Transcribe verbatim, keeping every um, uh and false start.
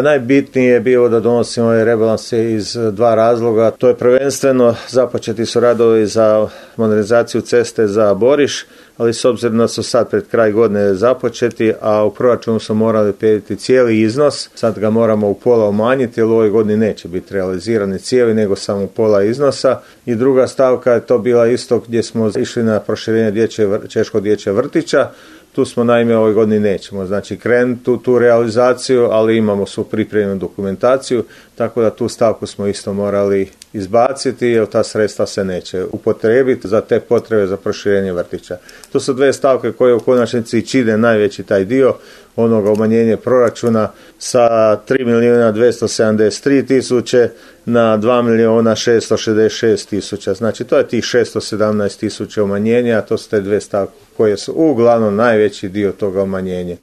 Najbitnije je bilo da donosimo ove rebalanse iz dva razloga. To je prvenstveno započeti su radovi za modernizaciju ceste za Boriš, ali s obzirom da su sad pred kraj godine započeti, a u proračunu smo morali predvidjeti cijeli iznos, sad ga moramo u pola umanjiti, jer u ovoj godini neće biti realizirani cijeli, nego samo pola iznosa. I druga stavka je to bila isto gdje smo išli na proširenje dječje, Češkog dječjeg vrtića. Tu smo naime ove godine nećemo, znači krenuti tu, tu realizaciju, ali imamo svu pripremljenu dokumentaciju, tako da tu stavku smo isto morali izbaciti, jer ta sredstva se neće upotrijebiti za te potrebe za proširenje vrtića. To su dvije stavke koje u konačnici čine najveći taj dio onoga umanjenja proračuna sa tri milijuna dvjesto sedamdeset tri tisuće na dva milijuna šesto šezdeset šest tisuća. Znači to je tih šesto sedamnaest tisuća umanjenja, a to su te dvije stavke koje su uglavnom najveći dio toga umanjenja.